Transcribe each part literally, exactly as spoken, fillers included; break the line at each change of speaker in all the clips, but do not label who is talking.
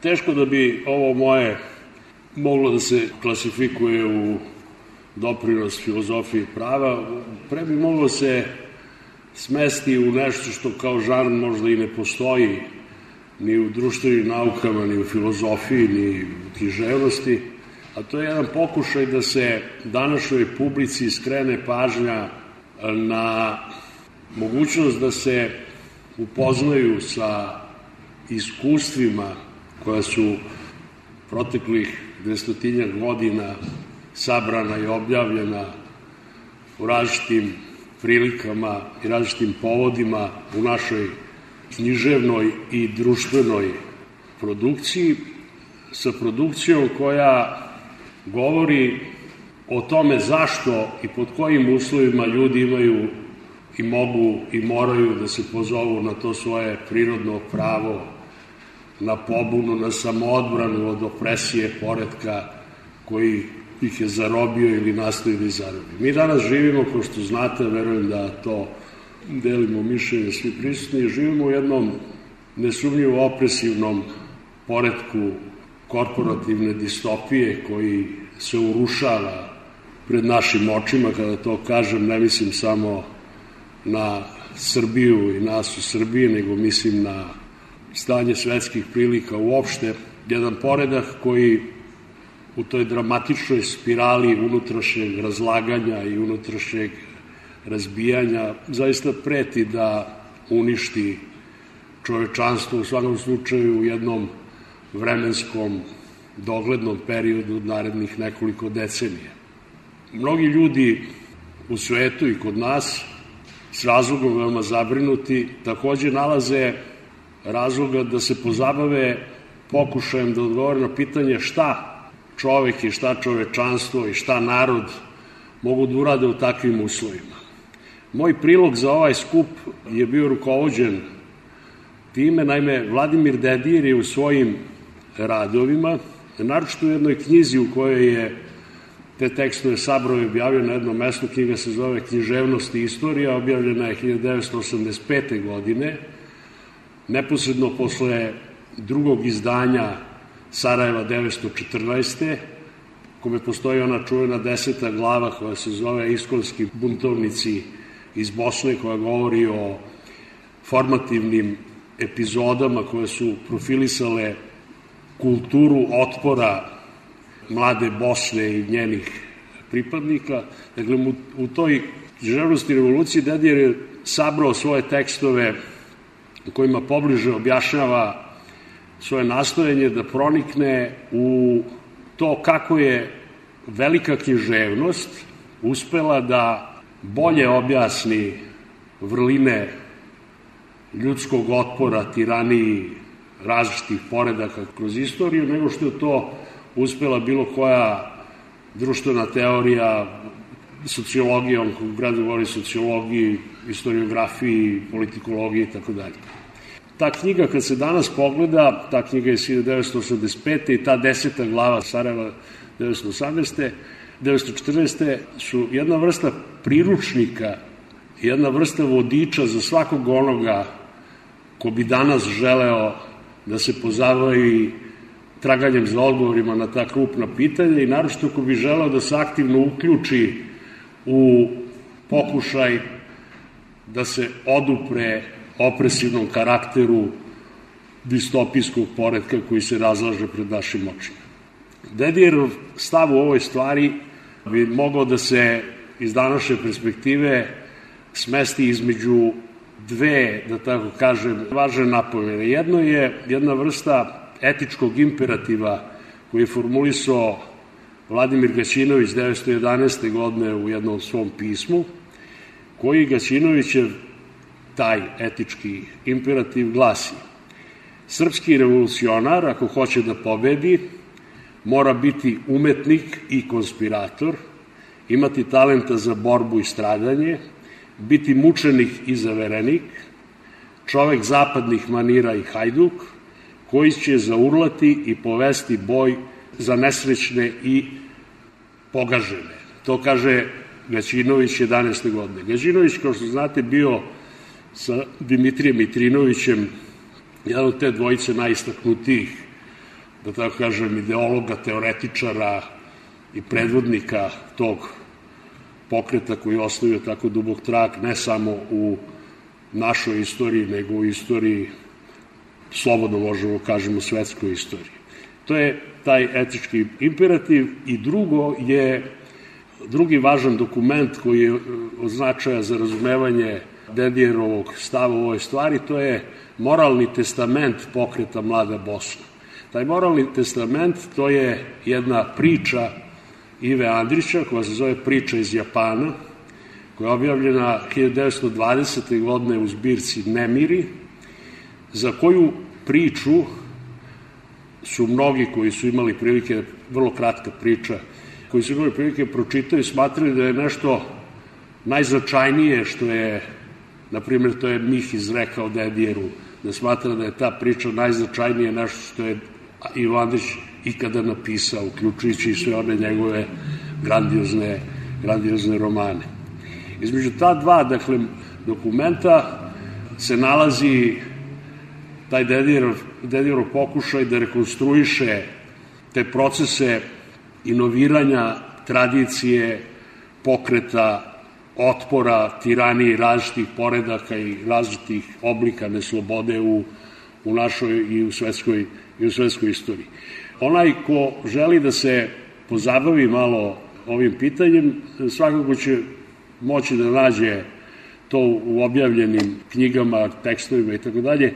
Teško da bi ovo moje moglo da se klasifikuje u doprinos filozofiji prava, pre bi moglo se smesti u nešto što kao žanr možda i ne postoji ni u društvenim naukama, ni u filozofiji, ni u književnosti, a to je jedan pokušaj da se današnjoj publici skrene pažnja na mogućnost da se upoznaju sa iskustvima koja su proteklih dvestotinjak godina sabrana i objavljena u različitim prilikama i različitim povodima u našoj književnoj i društvenoj produkciji, sa produkcijom koja govori o tome zašto i pod kojim uslovima ljudi imaju i mogu i moraju da se pozovu na to svoje prirodno pravo, na pobunu, na samoodbranu od opresije poretka koji ih je zarobio ili nastoji da ih zarobi. Mi danas živimo, kao što znate, verujem da to delimo mišljenje svi prisutni, živimo u jednom nesumnjivo opresivnom poretku korporativne distopije koji se urušava pred našim očima. Kada to kažem, ne mislim samo na Srbiju i nas u Srbiji, nego mislim na stanje svetskih prilika uopšte. Jedan poredak koji u toj dramatičnoj spirali unutrašnjeg razlaganja i unutrašnjeg razbijanja zaista preti da uništi čovečanstvo, u svakom slučaju u jednom vremenskom doglednom periodu od narednih nekoliko decenija. Mnogi ljudi u svetu i kod nas s razlogom veoma zabrinuti takođe nalaze razloga da se pozabave pokušajem da odgovore na pitanje šta čovek i šta čovečanstvo i šta narod mogu da urade u takvim uslovima. Moj prilog za ovaj skup je bio rukovođen time, naime, Vladimir Dedijer je u svojim radovima, naročito u jednoj knjizi u kojoj je te tekstove sabrao i objavio na jednom mestu, knjiga se zove Književnost i istorija, objavljena je hiljadu devetsto osamdeset pete. godine, neposredno posle drugog izdanja Sarajeva devetsto četrnaeste. kome postoji ona čuvena deseta glava koja se zove Iskonski buntovnici iz Bosne, koja govori o formativnim epizodama koje su profilisale kulturu otpora mlade Bosne i njenih pripadnika. Dakle, u toj književnosti revolucije Dedijer je sabrao svoje tekstove u kojima pobliže objašnjava svoje nastojanje da pronikne u to kako je velika književnost uspela da bolje objasni vrline ljudskog otpora, tiraniji, različitih poredaka kroz istoriju, nego što je to uspela bilo koja društvena teorija, sociologija, on u gradu govori sociologiji, historiografiji, politikologiji i tako dalje. Ta knjiga, kad se danas pogleda, ta knjiga je iz hiljadu devetsto osamdeset pete. i ta deseta glava Sarajeva devetsto osamnaeste. devetsto četrnaeste. su jedna vrsta priručnika, jedna vrsta vodiča za svakog onoga ko bi danas želeo da se pozabavi traganjem za odgovorima na ta krupna pitanja i naročito ko bi želeo da se aktivno uključi u pokušaj da se odupre opresivnom karakteru distopijskog poretka koji se razlaže pred našim očima. Dedijerov stav u ovoj stvari bi mogao da se iz današnje perspektive smesti između dve, da tako kažem, važne napomene. Jedno je jedna vrsta etičkog imperativa koji je formulisao Vladimir Gaćinović devetsto jedanaeste. godine u jednom svom pismu, koji Gaćinovićev taj etički imperativ glasi: srpski revolucionar, ako hoće da pobedi, mora biti umetnik i konspirator, imati talenta za borbu i stradanje, biti mučenik i zaverenik, čovek zapadnih manira i hajduk, koji će zaurlati i povesti boj za nesrećne i pogažene. To kaže Gaćinović jedanaeste. godine. Gaćinović, kao što znate, bio sa Dimitrijem Mitrinovićem jedan od te dvojice najistaknutijih da tako kažem, ideologa, teoretičara i predvodnika tog pokreta koji je ostavio tako dubok trag ne samo u našoj istoriji, nego u istoriji, slobodno možemo kažemo, svetskoj istoriji. To je taj etički imperativ. I drugo je, drugi važan dokument koji je od značaja za razumevanje Dedijerovog stava u ovoj stvari, to je moralni testament pokreta Mlada Bosna. Taj moralni testament, to je jedna priča Ive Andrića, koja se zove Priča iz Japana, koja je objavljena hiljadu devetsto dvadesete. godine u zbirci Nemiri, za koju priču su mnogi koji su imali prilike, vrlo kratka priča, koji su imali prilike pročitaju, smatrali da je nešto najznačajnije što je, na primjer, to je Mih izrekao Dedijeru, da smatra da je ta priča najznačajnije nešto što je Ivo Andrić ikada napisao, uključujući i sve one njegove grandiozne, grandiozne romane. Između ta dva, dakle, dokumenta se nalazi taj Dedijerov, Dedijerov pokušaj da rekonstruiše te procese inoviranja tradicije, pokreta, otpora, tiraniji različitih poredaka i različitih oblika neslobode u, u našoj i u svetskoj, i u svetskoj istoriji. Onaj ko želi da se pozabavi malo ovim pitanjem, svakako će moći da nađe to u objavljenim knjigama, tekstovima i tako dalje.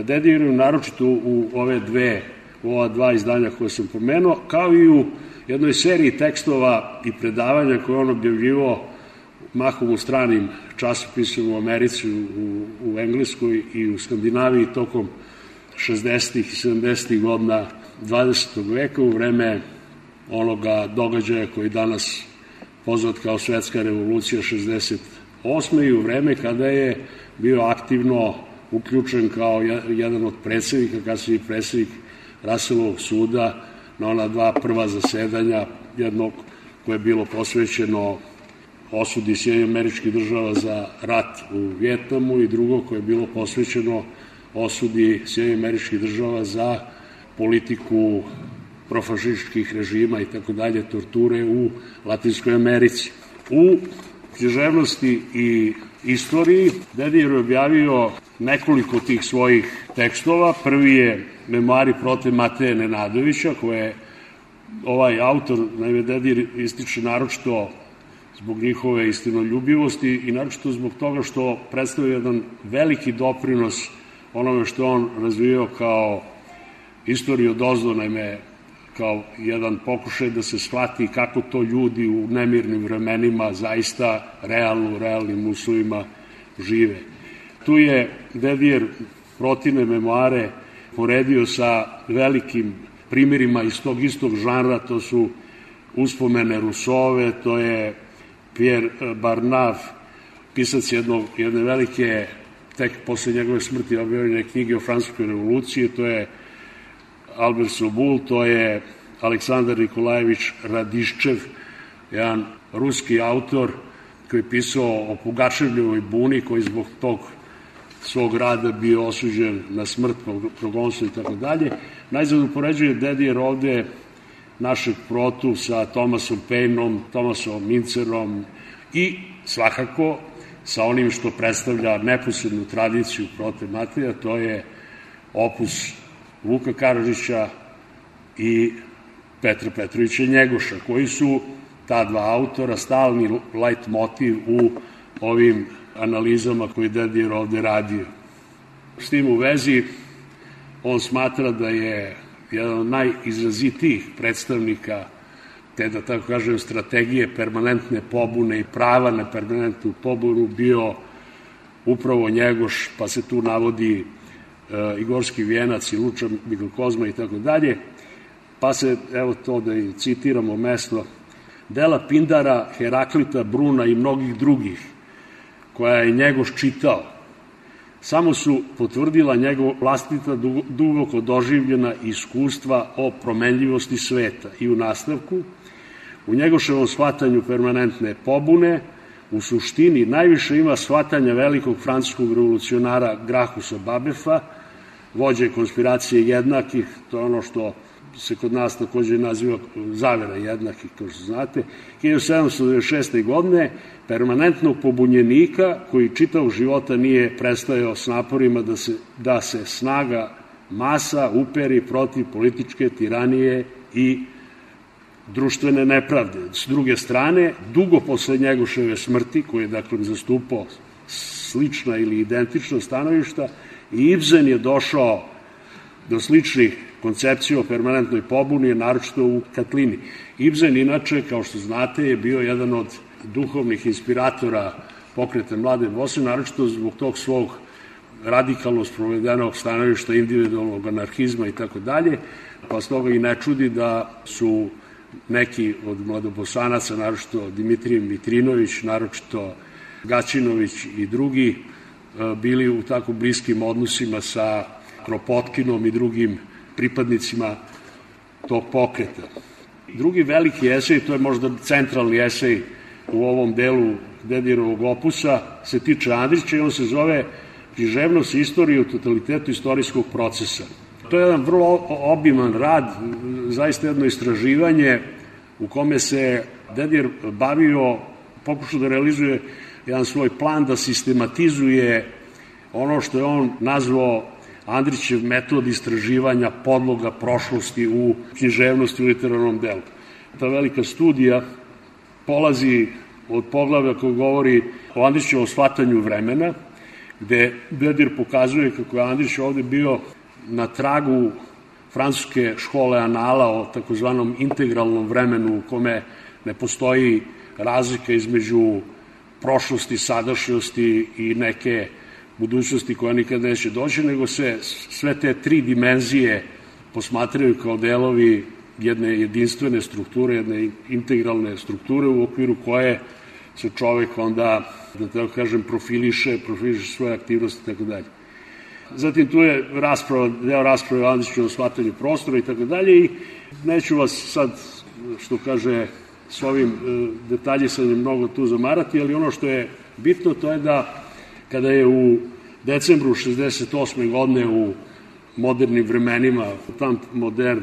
Dedijeru naročito u ove dve, u ova dva izdanja koje sam pomenuo, kao i u jednoj seriji tekstova i predavanja koje on objavljivao mahom u stranim časopisima u Americi, u, u Engleskoj i u Skandinaviji tokom šezdesetih i sedamdesetih godina dvadesetog veka, u vreme onoga događaja koji danas poznat kao Svetska revolucija šezdeset osme. i u vreme kada je bio aktivno uključen kao jedan od predsednika, kasnije predsednik Raselovog suda, na ona dva prva zasedanja, jednog koje je bilo posvećeno osudi Sjedinjenih Američkih Država za rat u Vijetnamu i drugo koje je bilo posvećeno osudi Sjedinjenih Američkih Država za politiku profašističkih režima i tako dalje, torture u Latinskoj Americi. U književnosti i istoriji Dedijer je objavio nekoliko tih svojih tekstova. Prvi je Memoari protiv Mateje Nenadovića, koje ovaj autor, naime Dedijer, ističe naročito zbog njihove istinoljubivosti i naročito zbog toga što predstavlja jedan veliki doprinos onome što on razvijao kao istoriju odozdo, naime kao jedan pokušaj da se shvati kako to ljudi u nemirnim vremenima zaista realno, u realnim uslovima žive. Tu je Dedijer Protine memoare poredio sa velikim primjerima iz tog istog žanra, to su Uspomene Rusove, to je Pierre Barnave, pisac jednog, jedne velike, tek posle njegove smrti objavljene knjige o Francuskoj revoluciji, to je Albert Sobul, to je Aleksandar Nikolajević Radiščev, jedan ruski autor koji je pisao o Pugačevljevoj buni, koji zbog tog svog rada bio osuđen na smrt, progonstvo i tako dalje. Najzad upoređuje Dedijer ovde našeg Protu sa Thomasom Paineom, Thomasom Mincerom i svakako sa onim što predstavlja neposrednu tradiciju Prote Mateja, to je opus Vuka Karadžića i Petra Petrovića Njegoša, koji su ta dva autora stalni lajt motiv u ovim analizama koje Dedijer ovde radio. S tim u vezi, on smatra da je jedan od najizrazitijih predstavnika te, da tako kažem, strategije permanentne pobune i prava na permanentnu pobunu bio upravo Njegoš, pa se tu navodi e, Igorski vijenac i Luča Mikrokozma i tako dalje, pa se, evo to da i citiramo mesto, dela Pindara, Heraklita, Bruna i mnogih drugih, koja je Njegoš čitao, samo su potvrdila njegov vlastita duboko doživljena iskustva o promenljivosti sveta i u nastavku, u Njegoševom shvatanju permanentne pobune, u suštini najviše ima shvatanja velikog francuskog revolucionara Grahusa Babefa, vođe konspiracije jednakih, to je ono što se kod nas takođe naziva zavera jednakih, kao što znate, hiljadu sedamsto devedeset šeste. godine permanentnog pobunjenika koji čitavog života nije prestajao s naporima da se, da se snaga masa uperi protiv političke tiranije i društvene nepravde. S druge strane, dugo posle Njegoševe smrti, koji je dakle zastupao slična ili identična stanovišta, i Ibsen je došao do sličnih koncepcija o permanentnoj pobuni, naročito u Katlini. Ibsen, inače, kao što znate, je bio jedan od duhovnih inspiratora pokreta Mlade Bosne, naročito zbog tog svog radikalno sprovedenog stanovišta individualnog anarhizma i tako dalje, pa s toga i ne čudi da su neki od mladobosanaca, naročito Dimitrije Mitrinović, naročito Gaćinović i drugi, bili u tako bliskim odnosima sa Kropotkinom i drugim pripadnicima tog pokreta. Drugi veliki esej, to je možda centralni esej u ovom delu Dedijerovog opusa, se tiče Andrića i on se zove Književnost istorije u totalitetu istorijskog procesa. To je jedan vrlo obiman rad, zaista jedno istraživanje u kome se Dedijer bavio, pokušao da realizuje jedan svoj plan da sistematizuje ono što je on nazvao Andrićev metod istraživanja podloga prošlosti u književnosti u literarnom delu. Ta velika studija polazi od poglavlja koji govori o Andrićevom shvatanju vremena, gde Dedijer pokazuje kako je Andrić ovde bio na tragu francuske škole anala o takozvanom integralnom vremenu u kome ne postoji razlika između prošlosti, sadašnjosti i neke budućnosti koja nikad neće doći, nego se sve te tri dimenzije posmatraju kao delovi jedne jedinstvene strukture, jedne integralne strukture u okviru koje se čovek onda, da tako kažem, profiliše, profiliše svoje aktivnosti i tako dalje. Zatim tu je rasprava, deo rasprave o Andrićevom shvatanju prostora i tako dalje i neću vas sad, što kaže, s ovim detaljisanjem mnogo tu zamarati, ali ono što je bitno to je da kada je u decembru šezdeset osme. godine u modernim vremenima, Tant modern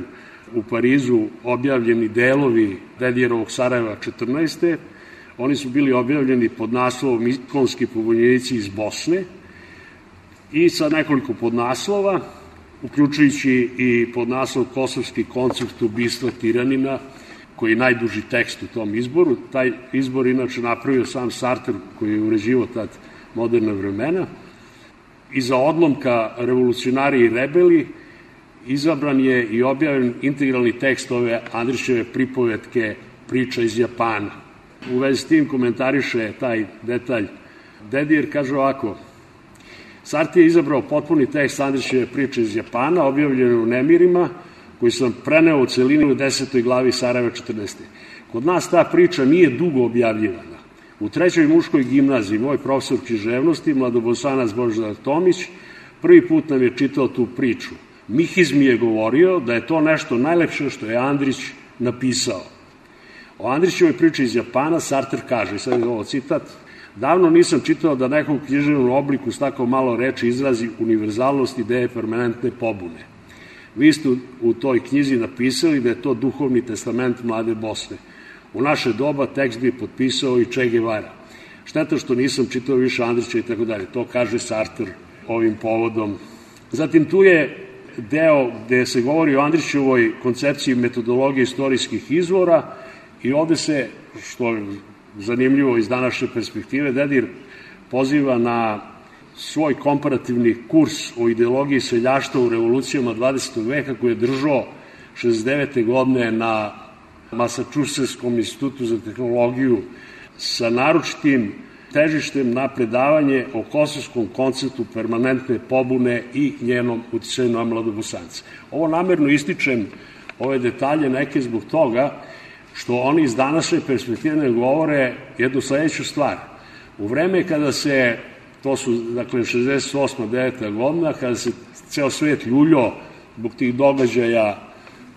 u Parizu, objavljeni delovi Dedijerovog Sarajeva četrnaeste. Oni su bili objavljeni pod naslovom Ikonski pobunjenici iz Bosne i sa nekoliko podnaslova, uključujući i podnaslov Kosovski koncept ubistva tiranina, koji je najduži tekst u tom izboru. Taj izbor inače napravio sam Sartre, koji je uređivao tad moderna vremena. Iza odlomka Revolucionari i rebeli izabran je i objavljen integralni tekst ove Andrićeve pripovetke Priča iz Japana. U vezi s tim komentariše taj detalj Dedijer, kaže ovako: Sartre je izabrao potpuni tekst Andrićeve Priče iz Japana, objavljene u Nemirima, koji sam preneo u celini u desetoj glavi Sarajeva četrnaeste. Kod nas ta priča nije dugo objavljivana. U trećoj muškoj gimnaziji moj profesor književnosti, mladobosanac Božidar Tomić, prvi put nam je čitao tu priču. Mihiz mi je govorio da je to nešto najlepše što je Andrić napisao. O Andrićevoj priči iz Japana Sartre kaže, sad je ovo citat: davno nisam čitao da nekom književnom obliku s tako malo reči izrazi univerzalnost ideje permanentne pobune. Vi ste u toj knjizi napisali da je to duhovni testament Mlade Bosne. U naše doba tekst bi potpisao i Che Guevara. Šteta što nisam čitao više Andrića i tako dalje. To kaže Sartre ovim povodom. Zatim tu je deo gde se govori o Andrićevoj koncepciji metodologije istorijskih izvora i ovde se, što je zanimljivo iz današnje perspektive, Dedijer poziva na svoj komparativni kurs o ideologiji seljaštva u revolucijama dvadesetog veka koji je držao šezdeset devete. godine na Masačusetskom institutu za tehnologiju sa naročitim težištem na predavanje o kosovskom konceptu permanentne pobune i njenom uticaju na mladobosance. Ovo namerno ističem, ove detalje neke zbog toga što oni iz današnje perspektive ne govore jednu sledeću stvar. U vreme kada se, to su dakle šezdeset osma. deveta. godina, kada se ceo svet ljuljo zbog tih događaja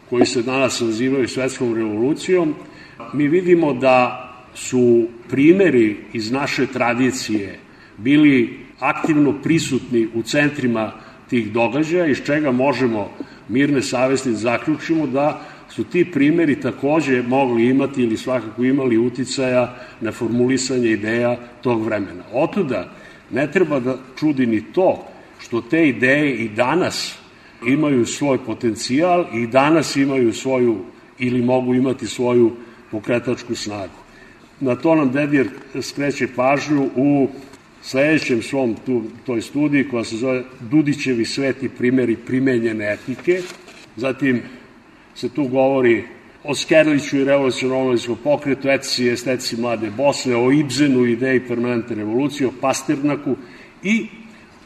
koji se danas nazivaju svetskom revolucijom, mi vidimo da su primeri iz naše tradicije bili aktivno prisutni u centrima tih događaja, iz čega možemo mirne savesti da zaključimo da su ti primjeri takođe mogli imati ili svakako imali uticaja na formulisanje ideja tog vremena. Otuda ne treba da čudi ni to što te ideje i danas imaju svoj potencijal i danas imaju svoju ili mogu imati svoju pokretačku snagu. Na to nam Dedijer skreće pažnju u sledećem svom tu, toj studiji koja se zove Dudićevi sveti primjeri primenjene etike. Zatim se tu govori o Skerliću i revolucionarnom pokretu, etici i estetici mlade Bosne, o Ibzenu, ideji permanentne revolucije, o Pasternaku i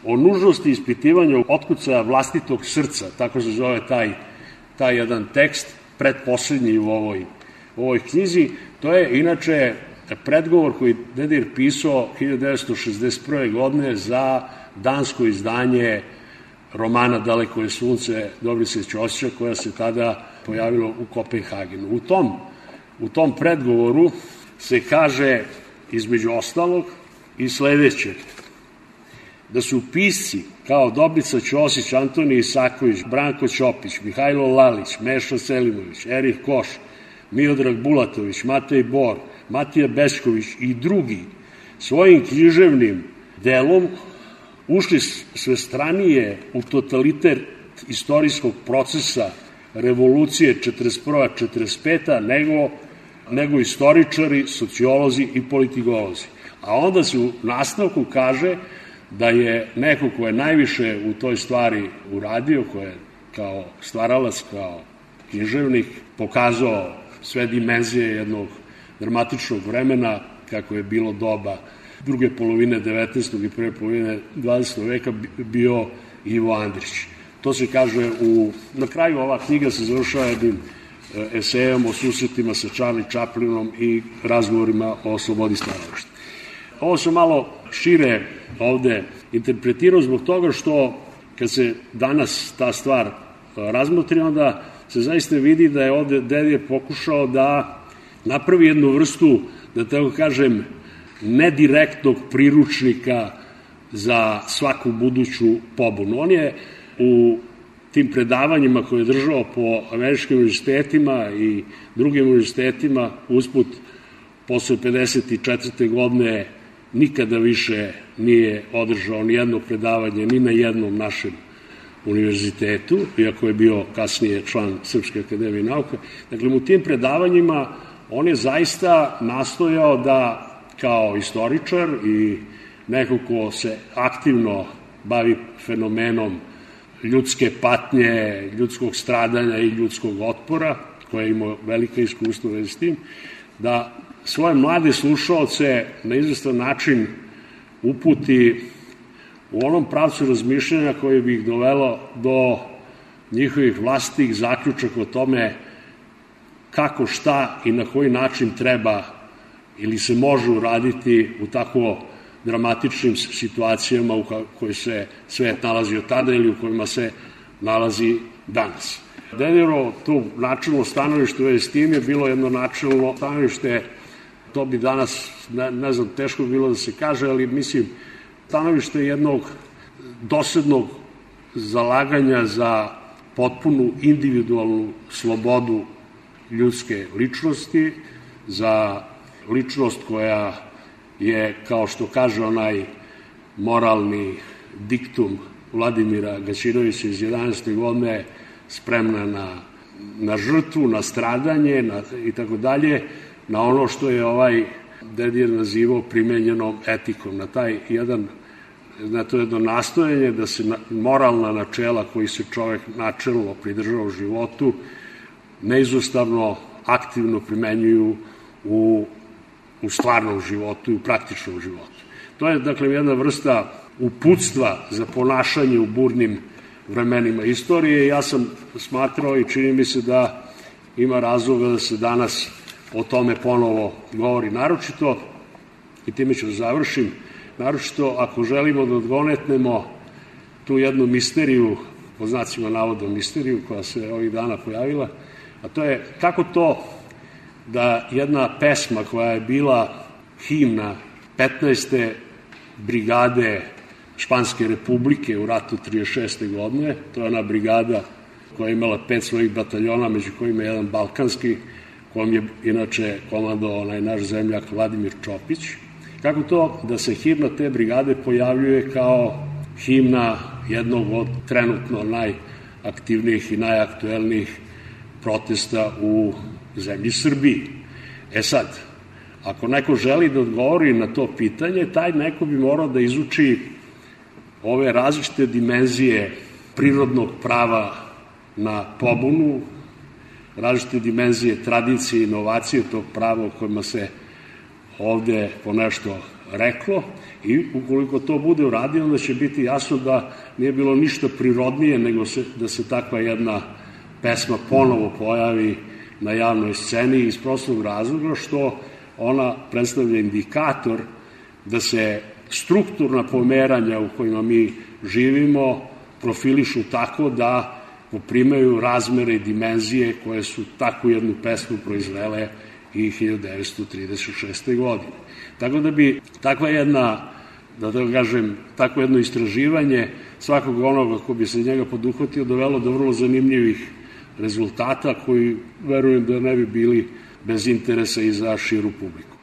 o nužnosti ispitivanja otkucaja vlastitog srca, tako se zove taj, taj jedan tekst, predposlednji u ovoj, u ovoj knjizi. To je inače predgovor koji Dedijer pisao hiljadu devetsto šezdeset prve. godine za dansko izdanje romana Daleko je sunce Dobrice Ćosića, koja se tada pojavila u Kopenhagenu. U tom, u tom predgovoru se kaže, između ostalog, i sledeće: da su pisci kao Dobrica Ćosić, Antonije Isaković, Branko Ćopić, Mihajlo Lalić, Meša Selimović, Erih Koš, Miodrag Bulatović, Matej Bor, Matija Bećković i drugi svojim književnim delom ušli svestranije u totaliter istorijskog procesa revolucije četrdeset prva do četrdeset peta nego, nego istoričari, sociolozi i politikolozi. A onda se u nastavku kaže da je neko ko je najviše u toj stvari uradio, ko je kao stvaralac, kao književnik, pokazao sve dimenzije jednog dramatičnog vremena, kako je bilo doba druge polovine devetnaestog i prve polovine dvadesetog veka, bio Ivo Andrić. To se kaže u... Na kraju ova knjiga se završava jednim esejom o susretima sa Charlie Chaplinom i razgovorima o slobodi stvaralaštva. Ovo sam malo šire ovde interpretirao zbog toga što kad se danas ta stvar razmotri, onda se zaista vidi da je ovde Dedijer pokušao da napravi jednu vrstu, da tako kažem, nedirektnog priručnika za svaku buduću pobunu. On je u tim predavanjima koje je držao po američkim univerzitetima i drugim univerzitetima usput posle pedeset četvrte. godine nikada više nije održao ni jedno predavanje ni na jednom našem univerzitetu, iako je bio kasnije član Srpske akademije nauka. Dakle, u tim predavanjima on je zaista nastojao da kao istoričar i neko ko se aktivno bavi fenomenom ljudske patnje, ljudskog stradanja i ljudskog otpora, koje je imao velika iskustva već s tim, da svoje mlade slušaoce na izvestan način uputi u onom pravcu razmišljanja koje bi ih dovelo do njihovih vlastitih zaključaka o tome kako, šta i na koji način treba ili se može uraditi u tako dramatičnim situacijama u kojoj se svet nalazio tada ili u kojima se nalazi danas. Dedijerovo tu načelno stanovište u vezi s tim je bilo jedno načelno stanovište, to bi danas, ne, ne znam, teško bi bilo da se kaže, ali mislim, stanovište jednog doslednog zalaganja za potpunu individualnu slobodu ljudske ličnosti, za ličnost koja je, kao što kaže onaj moralni diktum Vladimira Gaćinovića iz jedanaeste. godine, spremna na, na žrtvu, na stradanje na, i tako dalje, na ono što je ovaj Dedijer nazivao primenjenom etikom, na taj jedan, na to jedno nastojanje da se moralna načela koji se čovek načelno pridržava u životu neizostavno aktivno primenjuju u, u stvarnom životu i u praktičnom životu. To je, dakle, jedna vrsta uputstva za ponašanje u burnim vremenima istorije. Ja sam smatrao i čini mi se da ima razloga da se danas o tome ponovo govori, naročito, i time ću da završim, naročito ako želimo da odgonetnemo tu jednu misteriju, po znacima navoda misteriju, koja se ovih dana pojavila, a to je kako to da jedna pesma koja je bila himna petnaeste brigade Španske republike u ratu trideset šeste godine. To je ona brigada koja je imala pet svojih bataljona, među kojima je jedan balkanski, kojom je inače komandovao onaj naš zemljak Vladimir Čopić. Kako to da se himna te brigade pojavljuje kao himna jednog od trenutno najaktivnijih i najaktuelnijih protesta u zemlji Srbiji? E sad, ako neko želi da odgovori na to pitanje, taj neko bi morao da izuči ove različite dimenzije prirodnog prava na pobunu, različite dimenzije tradicije i inovacije tog prava o kojima se ovde ponešto reklo, i ukoliko to bude uradio, onda će biti jasno da nije bilo ništa prirodnije nego se, da se takva jedna pesma ponovo pojavi na javnoj sceni iz prostog razloga što ona predstavlja indikator da se strukturna pomeranja u kojima mi živimo profilišu tako da poprimaju razmere i dimenzije koje su takvu jednu pesmu proizvele i hiljadu devetsto trideset šeste. godine. Tako da bi takva jedna, da tako kažem, takvo jedno istraživanje svakog onoga ko bi se njega poduhvatio dovelo do vrlo zanimljivih rezultata koji verujem da ne bi bili bez interesa i za širu publiku.